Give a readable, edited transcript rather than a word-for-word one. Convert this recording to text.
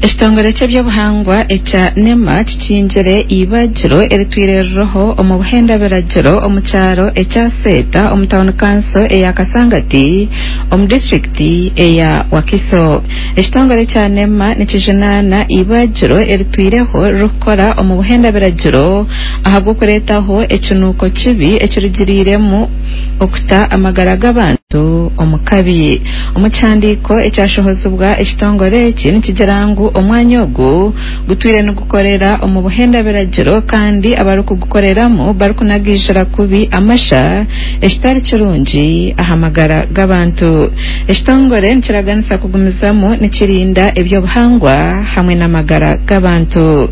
Ekitongore ky'ebyobuhangwa ekya NEMA kikingire eibagiro eritwire ririho omu buhenda biragiro omu kyaro ekya Seeta omu tawuni kanso eya Kasangati omu disiturikiti eya Wakiso. Ekitongore kya NEMA nikijunaana eibagiro eritwireho ririkukora omu buhenda biragiro ahabw'okureetaho ekinuuko kibi ekirugiriiremu okuta amagara g'abantu omu kabi. Omu kihandiiko ekyashohozibwa ekitongore eki nikigira ngu omwanya ogu gutwire nigukorera omu buhenda biragiro kandi abarikugukoreramu barikunagiijira kubi amasha ekitari kirungi aha magara g'abantu. Ekitongore nikiraganisa kugumizamu nikirinda eby'obuhangwa hamwe n'amagara g'abantu.